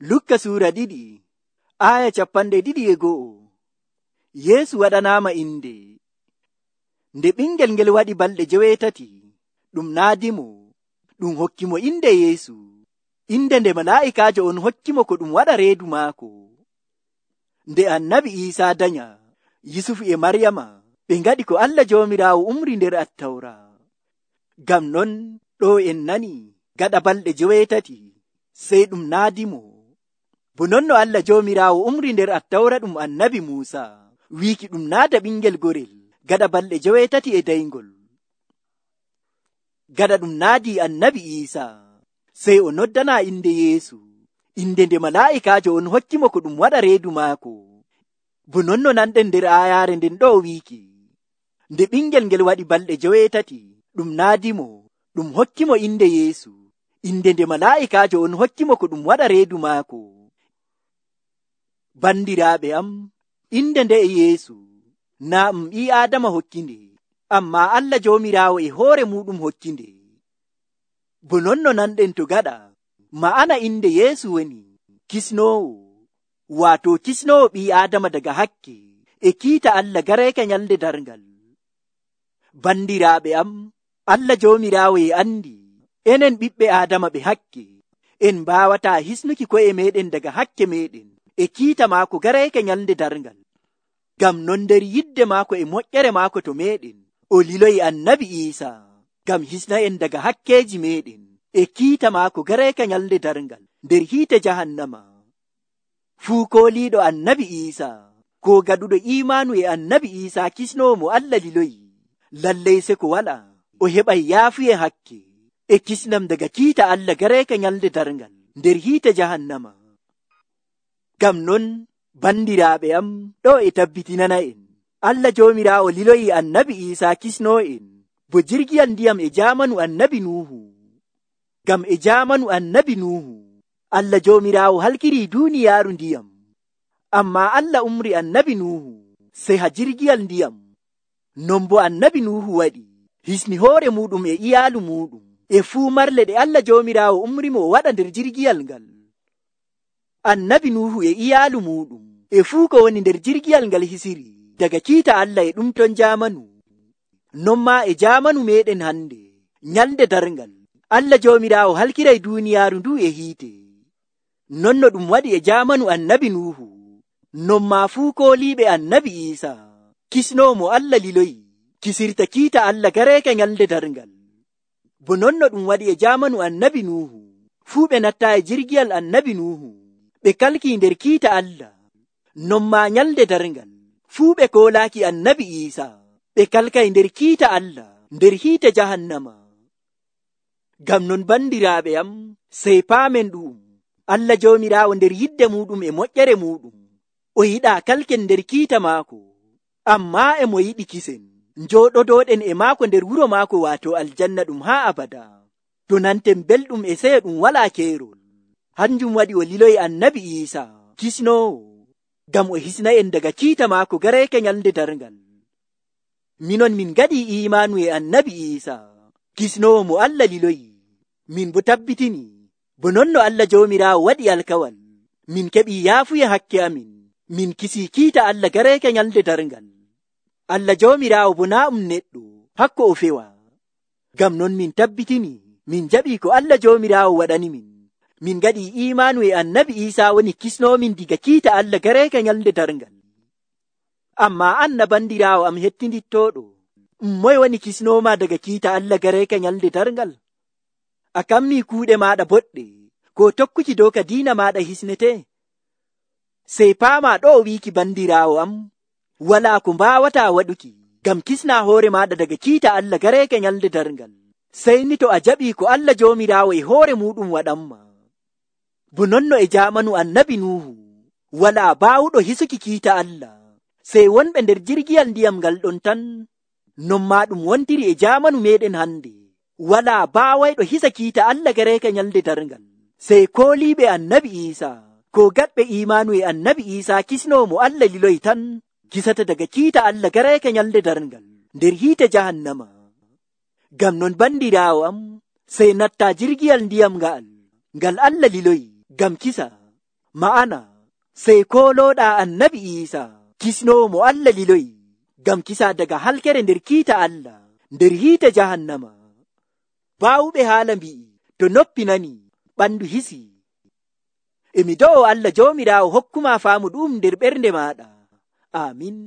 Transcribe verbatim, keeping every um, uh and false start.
Lukka suura ɗiɗi aya capanɗe ɗiɗi e go'o. Yeesu waɗanaama inde. Nde ɓingel ngel waɗi balɗe joweetati, ɗum naadimo, ɗum hokki mo inde Yeesu, inde nde malaa'ikaajo on hokki mo ko ɗum waɗa reedu maako. Nde annabi Iisaa danya, Yusufu e Maryama ɓe ngaɗi ko Allah Joomiraawo umri nder Attawra. Ngam non ɗo en nani gaɗa balɗe joweetati sey ɗum naadimo. Bo non no Allah Joomiraawo umri nder Attawra ɗum annabi Muusa wiiki ɗum naada ɓingel gorel gaɗa balɗe joweetati e dayngol. Gaɗa ɗum naadi annabi Iisaa sey o noddana inde Yeesu, inde nde malaa'ikaajo on hokki mo ko ɗum waɗa reedu maako. Bo non no nanɗen nder aayaare nden ɗo wiiki, nde ɓingel ngel waɗi balɗe joweetati, ɗum naadimo, ɗum hokki mo inde Yeesu, inde nde malaa'ikaajo on hokki mo ko ɗum waɗa reedu maako. Bandiraaɓe am, inde nde e Yeesu naa ɗum ɓii Aadama hokkinde, ammaa Allah Joomiraawo e hoore muɗum hokkinde. Bo non no nanɗen to gaɗa, ma'ana inde Yeesu woni kisnoowo, waato kisnoowo ɓii Aadama daga hakke e kiita Allah gareeka nyalde darngal. Bandiraaɓe am, Allah Joomiraawo e andi enen ɓiɓɓe Aadama ɓe hakke en mbaawataa hisnuki ko'e meɗen daga hakke meɗen e kiita maako gareeka nyalde darngal. Ngam non nder yidde maako e moƴƴere maako to meɗen, o liloyi annabi Iisaa ngam hisna en daga hakkeeji meɗen e kiita maako gareeka nyalde darngal nder hiite jahannama. Fuu kooliiɗo annabi Iisaa ko gaɗuɗo iimaanu e annabi Iisaa kisnoowo mo Allah liloyi, lallay se ko wala o heɓay yaafuye hakke e kisnam daga kiita Allah gareeka nyalde darngal nder hiite jahannama. Ngam non bandiraaɓe am, ɗo e tabbitinana en Allah Joomiraawo liloyi annabi Iisaa kisnoo en bo jirgiyal ndiyam e jaamanu annabi Nuuhu. Ngam e jaamanu annabi Nuuhu Allah Joomiraawo halkirii duuniyaaru ndiyam, ammaa Allah umri annabi Nuuhu sey ha jirgiyal ndiyam. Non bo annabi Nuuhu waɗi hisni hoore muɗum e iyaalu muɗum e fuu marle ɗe Allah Joomiraawo umri mo o waɗa nder jirgiyal ngal. Annabi Nuuhu e iyaalu muɗum e fuu ko woni nder jirgiyal ngal hisiri daga kiita Allah e ɗum ton jaamanu. Non maa e jaamanu meɗen hande, nyalde darngal, Allah Joomiraawo halkiray duuniyaaru ndu e hiite. Non no ɗum waɗi e jaamanu annabi Nuuhu, non maa fuu kooliiɓe annabi Iisaa kisnoo mo Allah liloyi kisirta kiita Allah gareeka nyalde darngal. Bo non no ɗum waɗi e jaamanu annabi Nuuhu, fuu ɓe natta e jirgiyal annabi Nuuhu ɓe kalkii nder kiita Allah. Non maa nyalde darngal, fuu ɓe koolaaki annabi Iisaa ɓe kalkay nder kiita Allah nder hiite jahannama. Ngam non bandiraaɓe am, sey paamen ɗum, Allah Joomiraawo nder yidde muɗum e moƴƴere muɗum o yiɗaa kalken nder kiita maako, ammaa e mo yiɗi kisen njooɗodooɗen e maako nder wuro maako waato aljanna ɗum haa abada, to nanten belɗum e seyo ɗum walaa keerol. Hanjum waɗi o liloyi annabi Iisaa kisnoowo ngam o hisna en daga kiita maako gareeka nyalde darngal. Minon min gaɗii iimaanu e annabi Iisaa kisnoowo mo Allah liloyi, min bo tabbitini bo non no Allah Joomiraawo waɗi alkawal, min keɓii yaafuye hakke amin, min kisii kiita Allah gareeka nyalde darngal. Allah Joomiraawo bo naa um neɗɗo hakko o fewa. Ngam non min tabbitini min jaɓii ko Allah Joomiraawo waɗani min, min gaɗii iimaanu e annabi Iisaa woni kisnoomin diga kiita Allah gareeka nyalde darngal. Ammaa an na bandiraawo am hettindittooɗo, moye woni kisnooma daga kiita Allah gareeka nyalde darngal? A kammii kuuɗe maaɗa boɗɗe ko tokkuki dow ka diina maaɗa hisnetee? Sey paamaa ɗo o wiiki bandiraawo am, walaa ko mbaawataa waɗuki ngam kisnaa hoore maaɗa daga kiita Allah gareeka nyalde darngal, sey ni to a jaɓii ko Allah Joomiraawo e hoore muɗum waɗanma. Bo non no e jaamanu annabi Nuuhu walaa baawuɗo hisuki kiita Allah sey wonɓe nder jirgiyal ndiyam ngal ɗon tan, non maa ɗum wontiri e jaamanu meɗen hande, walaa baawayɗo hisa kiita Allah gareeka nyalde darngal sey kooliiɓe annabi Iisaa ko gaɗɓe iimaanu e annabi Iisaa kisnoo mo Allah liloyi tan kisata daga kiita Allah gareeka nyalde darngal nder hiite jahannama. Ngam non bandiraawo am, sey natta jirgiyal ndiyam nga'al ngal Allah liloyi ngam kisa, Ma'ana, sey koolooɗaa annabi Iisa, kisnoowo mo Allah liloyi, ngam kisa daga halkere nder kiita Allah, nder hiite jahannama. Baawuɓe haala mbi'i, to noppi nani, ɓandu hisi. E mi do'o Allah Joomiraawo hokkuma faamu ɗum nder ɓernde maaɗa. Amin.